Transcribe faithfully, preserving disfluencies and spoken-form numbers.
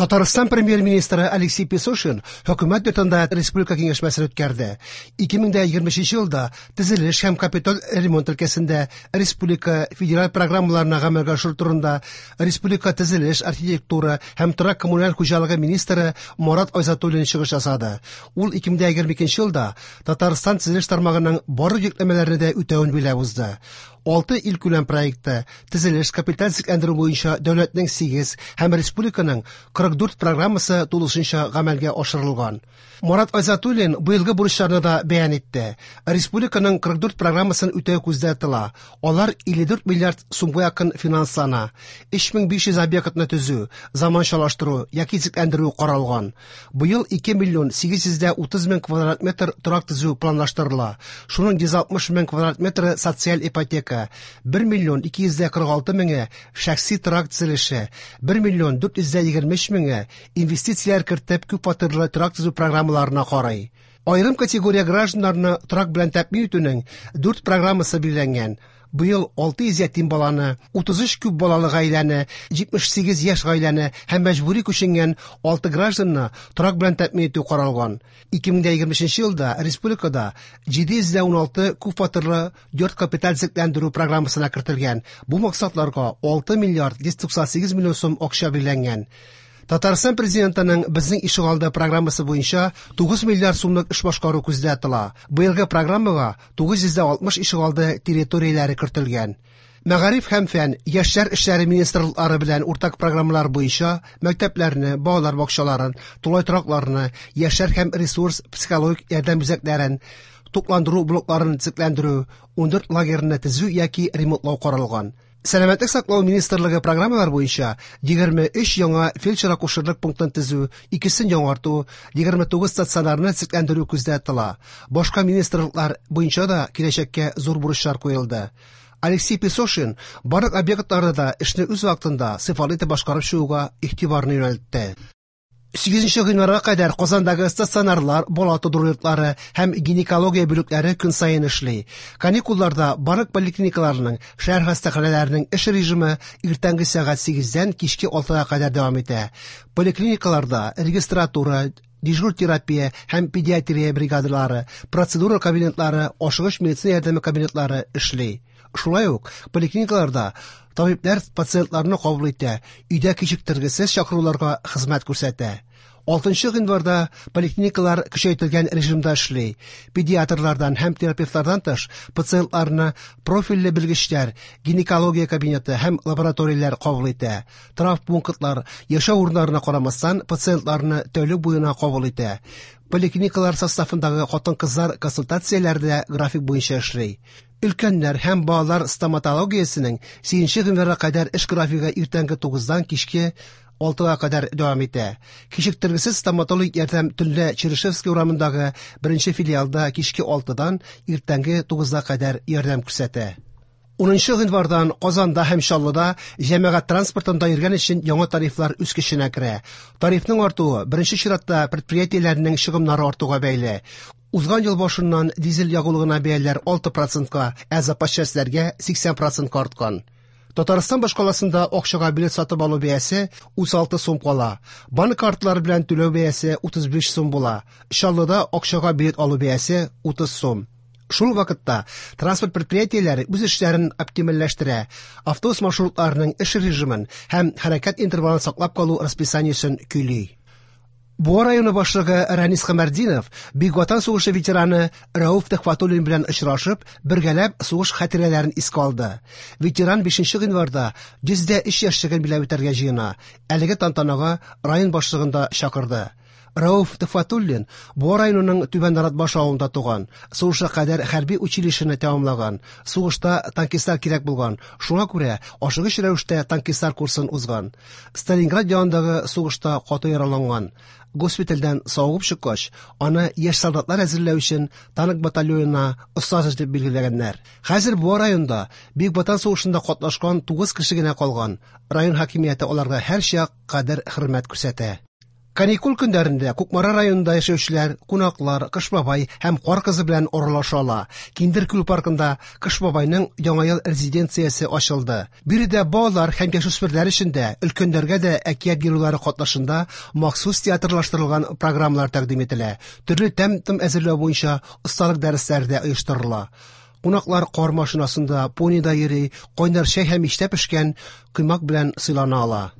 Татарстан премьер-министры Алексей Песошин хөкүмәт йортында республика киңәшмәсен үткәрде. ике мең егерме өченче елда төзелеш һәм капиталь ремонт өлкәсендә республика федераль программаларына гамәлгә ашыру турында республика төзелеш, архитектура һәм торак коммуналь хуҗалыгы министры Марат Айзатуллин чыгыш ясады. Ул ике мең егерме икенче елда Татарстан төзелеш тармагының барлык йөкләмәләрне дә үтәвен билгеләп узды. Алты илкүләм проекты төзелеш капиталь төзекләндерү буенча дәүләтнең сигез һәм республиканың кырык дүрт программасы тулысынча гамәлгә ашырылган. Марат Айзатуллин быелгы бурычларны да бәян итте. Республиканың кырык дүрт программасын үтәү күздә тотыла. Алар илле дүрт миллиард сумга якын финанслана. Өч мең биш йөз объектны төзү, заманчалаштыру яки төзекләндерү каралган. Быел ике миллион сигез йөз дә утыз мең квадрат метр торак төзү планлаштырыла. Шуның йөз алтмыш мең квадрат метры социаль ипотека, бер миллион ике йөз дә кырык алты меңе шәхси торак төзелеше, бер миллион дүрт йөз дә егерме өч меңе инвестицияләр кертеп күп фатирлы торак төзү программаларына карый. Аерым категория гражданнарны торак белән тәэмин итүнең дүрт программасы билгеләнгән. Быел алты йөз ятим баланы, утыз өч күп балалы гаиләне, җитмеш сигез яшь гаиләне һәм мәҗбүри күченгән алты гражданны торак белән тәэмин итү каралган. ике мең егерме өченче елда республикада җиде йөз дә уналты күп фатирлы йорт капиталь төзекләндерү программасына кертелгән. Бу максатларга алты миллиард йөз туксан сигез миллион сум акча билгеләнгән. Татарстан президентының Безнең ишегалды программасы буенча тугыз миллиард сумлык эш башкару күздә тотыла. Быелгы программага тугыз йөз дә алтмыш ишегалды территорияләре кертелгән. Мәгариф һәм фән, яшьләр эшләре министрлыклары белән уртак программалар буенча мәктәпләрне, балалар бакчаларын, тулай торакларны, яшьләр һәм ресурс психологик ярдәм үзәкләрен, тукландыру блокларын төзекләндерү, ундүрт лагерьны төзү яки ремонтлау каралган. Сәламәтлек саклау министрлыгы программалар буенча егерме өч яңа фельдшер-акушерлык пунктын төзү, икесен яңарту, егерме тугыз стационарны төзекләндерү күздә тотыла. Башка министрлыклар буенча да киләчәккә зур бурычлар куелды. Алексей Песошин барлык объектларда да эшне үз вакытында сыйфатлы итеп башкарып чыгуга игътибарны юнәлтте. Сигезенче гыйнварга кадәр Казандагы стационарлар, бала тудыру йортлары һәм гинекология бүлекләре көн саен эшли. Каникулларда барлык поликлиникаларның, шәһәр хастаханәләренең эш режимы иртәнге сәгать сигездән кичке алтыга кадәр дәвам итә. Поликлиникаларда регистратура, дежур терапия һәм педиатрия бригадалары, процедура кабинетлары, ашыгыч медицина ярдәме кабинетлары эшли. Шулай ук поликлиникаларда табиблар пациентларны кабул итә, өйдә кичектергесез чакыруларга хезмәт күрсәтә. Алтынчы гыйнварда поликлиникалар көчәйтелгән режимда эшли. Педиатрлардан һәм терапевтлардан тыш пациентларны профильле белгечләр, гинекология кабинеты һәм лабораторияләр кабул итә. Травмпунктлар яшәү урыннарына карамастан пациентларны тәүлек буена кабул итә. Поликлиникалар составындагы хатын-кызлар консультацияләре дә график буенча эшли. Өлкәннәр һәм балалар стоматологиясенең сигезенче гыйнварга кадәр эш графигы иртәнге тугыздан кичке алтыга кадәр дәвам итә. Кичектергесез стоматологик ярдәм төнлә Чернышевский урамындагы беренче филиалда кичке алтыдан иртәнге тугызга кадәр ярдәм күрсәтә. Унынчы гыйнвардан Казанда һәм Чаллыда җәмәгать транспортында йөргән өчен яңа тарифлар үз көченә керә. Тарифның артуы беренче чиратта предприятиеләрнең чыгымнары артуга бәйле. Узган ел башыннан дизель ягулыгына бәяләр алты процентка, ә запас частьләргә сиксән процентка арткан. Татарстан башкаласында акчага билет сатып алу бәясе утыз алты сум кала. Банк картлары белән түләү бәясе утыз биш сум була. Чаллыда акчага билет алу бәясе утыз сум. Шул вакытта транспорт предприятиеләре үз эшләрен оптимальләштерә, автобус маршрутларының эш режимын һәм хәрәкәт интервалын саклап калу расписаниесен көйли. Буа районы башлыгы Ранис Камәрдинов Бөек Ватан сугышы ветераны Рәүф Төхвәтуллин белән очрашып, бергәләп сугыш хатирәләрен искә алды. Ветеран бишенче гыйнварда йөз дә өч яшьлеген биләп үтәргә җыена. Әлеге тантанага район башлыгын да чакырды. Рәүф Төхвәтуллин Буа районының Түбән Наратбаш авылында туган, сугышка кадәр хәрби училищены тәмамлаган, сугышта танкистлар кирәк булган, шуңа күрә ашыгыч рәвештә танкистлар курсын узган. Сталинград янындагы сугышта каты яраланган. Госпитальдән савыгып чыккач, аны яшь солдатлар әзерләү өчен танк батальонына остаз итеп билгеләгәннәр. Хәзер Буа районында Бөек Ватан сугышында катнашкан тугыз кеше генә калган. Район хакимияте аларга һәрчак кадер-хөрмәт күрсәтә. Каникул көннәрендә Кукмара районында яшәүчеләр, кунаклар Кыш бабай һәм Кар кызы белән аралаша ала. Киндер күл паркында Кыш бабайның Яңа ел резиденциясе ачылды. Биредә балалар һәм яшүсмерләр өчен дә, өлкәннәргә дә әкият геройлары катнашында махсус театрлаштырылган программалар тәкъдим ителә. Төрле тәм-том әзерләү буенча осталык дәресләре дә оештырыла. Кунаклар кар машинасында, понида йөри, кайнар чәй һәм мичтә пешкән коймак белән сыйлана ала.